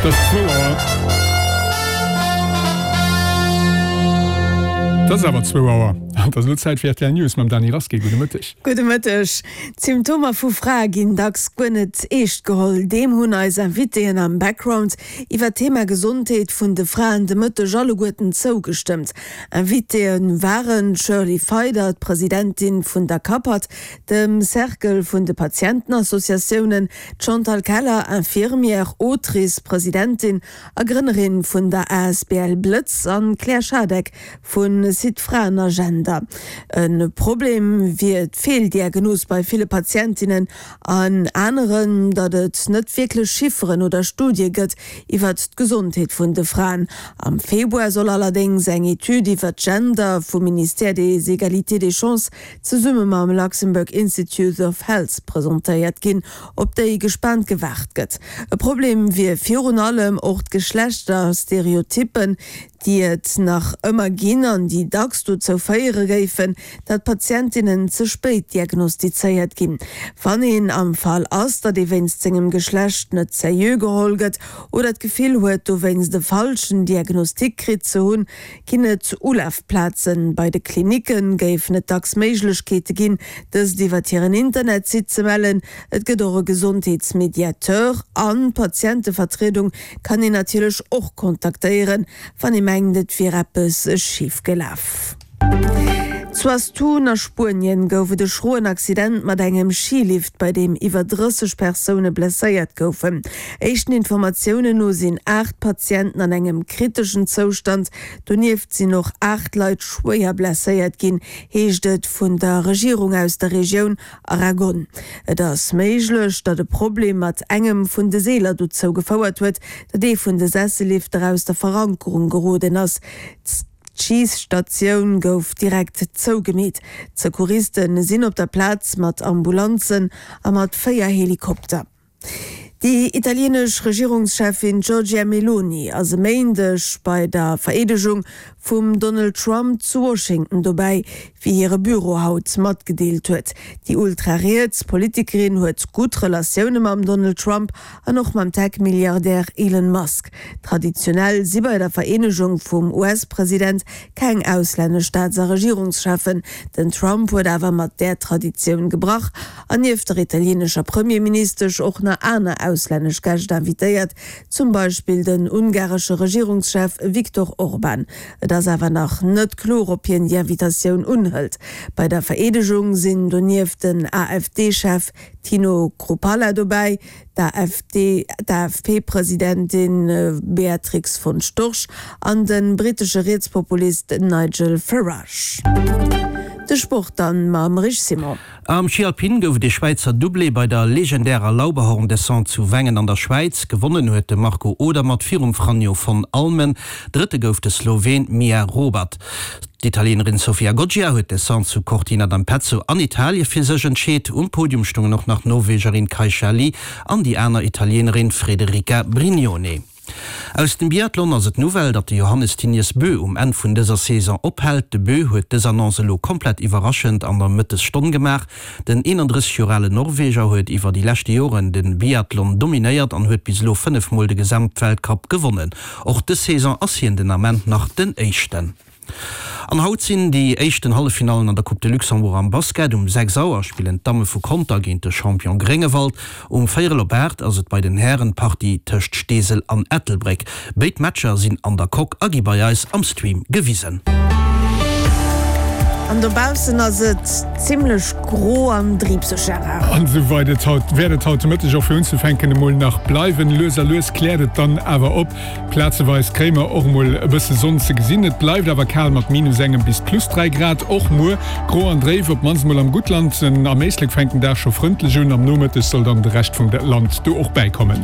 Et ass zwou Auer. Et ass awer zwou Auer an et ass elo Zäit fir rtl News mam Dany Rasqué. Gudde Mëtteg. Gudde Mëtteg. D'Symptomer vu Frae ginn dacks guer net eescht geholl. Deem hunn eis Invitéen am Background iwwer d'Thema Gesondheet vun de Fraen de Mëtteg alleguerten zougestëmmt. Invitéë waren d'Shirley Feider, d'Presidentin vun der CAPAT, dem Cercle vun de Patientenassociatiounen, D'Chantal Keller, Infirmière, Autrice, Presidentin a Grënnerin vun der asbl Blëtz an d'Claire Schadeck vu Site Fraenagenda. E Problem wier d'Feeldiagnos bei ville Patientinnen an aneren, datt et net wierklech Chifferen oder Studie gëtt iwwert d'Gesondheet vun de Fraen. Am Februar soll allerdéngs eng Etüd iwwert Gender vum Ministère des Égalités des chances zesumme mam Luxembourg Institute of Health presentéiert ginn, op déi gespaant gewaart gëtt. E Problem wier virun allem och d'Geschlechterstereotyppen, déi et nach ëmmer ginn an déi dacks dozou féiere géifen, datt Patientinnen ze spéit diagnostizéiert ginn. Wann een am Fall ass, datt ee wéinst sengem Geschlecht net seriö geholl gëtt oder d'Gefill huet, dowéinst e falschen Diagnostic kritt ze hunn, Ginn et Ulafplazen? Bei de Klinicke géifen et dacks Méiglechkeete ginn, dëst iwwert hiren Internetsite ze mellen. Et gëtt och e Gesondheetsmediateur an d'Patientevertriedung kann een natierlech och kontaktéieren, wann ee mengt, et wier eppes schif gelaf. Zu Astun a Spuenien gouf et e schroen Accident mat engem Skilift, bei deem iwwer 30 Persoune blesséiert goufen. Éischten Informatiounen no sinn 8 Patienten an engem kriteschen Zoustand. Donieft sinn och 8 Leit schwéier blesséiert ginn, heescht et vun der Regierung aus der Regioun Aragon. Et ass méiglech, datt e Problem mat engem vun de Seeler dozou gefouert huet, datt ee vun de Sessellifter aus der Verankerung geroden ass. D'Schiisstatioun gouf direkt zougemeet. D'Secouriste sinn op der Plaz mat Ambulanzen a mat 4 Helikopter. Déi italienesch Regierungscheffin Giorgia Meloni ass e Méindeg bei der Vereedegung vum Donald Trump zu Washington dobäi, wéi hire Büro haut matgedeelt huet. Déi ultra-riets Politikerin huet gutt Relatioune mam Donald Trump an och mam Tech-Milliardär Elon Musk. Traditionell si bei der Vereenegung vum US-President keng auslännesch Staats a Regierungscheffen. Den Trump huet awer mat där Traditioun gebrach an nieft der italienescher Premierministesch och nach aner auslännesch Gäscht invitéiert, zum Beispill den ungaresche Regierungschef Viktor Orban. Et ass awer nach net kloer, ob hien déi Invitatioun unhëlt. Bei der Vereedegung sinn donieft den AfD-Chef Tino Chrupalla dobäi, d'AfD, d'AfP-Presidentin Beatrix von Storch an de brittesche Rietspopulist Nigel Farage. De Sport dann mam Rich Simon. Am Schi Alpin gouf et ee Schwäizer Doublé bei der legendärer Lauberhorn-Descente zu Wengen an der Schwäiz. Gewonnen huet de Marco Odermatt virum Franjo von Allmen. Drëtte gouf de Sloween Mia Robert. D'Italienerin Sofia Goggia huet d'Descente zu Cortina d'Ampezzo an Italie fir sech entscheet. Um Podium stoungen och nach d'Norwegerin Kaisha Li an déi aner Italienerin Federica Brignone. Aus dem Biathlon ass et d'Nouvelle, datt de Johannes Thinius Bö um Enn vun dëser Saison ophält. De Bö huet dës Annonce elo komplett iwwerraschend an der Mëttesstonn gemaach. Den 31 Joer ale Norweger huet iwwer déi leschte Joren de Biathlon dominéiert an huet bis elo 5 Mol de Gesamtweltcup gewonnen. Och dës Saison ass hien den Ament nach den Éischten. An haut sinn déi éischten Halleffinallen an der Coupe de Luxembourg am Basket. Um 6 Auer spillen d'Damme vu Conter géint de Champion Gréngewald. Um véierel op 8 ass et bei den Hären d'Partie tëscht Steesel an Ettelbréck. Béid Matcher sinn an der Coque a gi bei eis am Stream gewisen. An dobaussen ass et zimmlech gro an driibseg, Gérard. An esou weit et haut wäert et haut de Mëtteg och fir unzefänken emol nach bleiwen. Lues a lues kläert et dann awer op. Plazeweis kréie mer och emol e bësse Sonn ze gesinn. Et bleift awer kal mat minus engem bis plus 3 Grad. Och muer gro an dréif, op d'mannst emol am Guttland. Am Éislek fänkt den Dag scho frëndlech un, am Nomëtteg soll dann de Rescht vum Land do och bäikommen.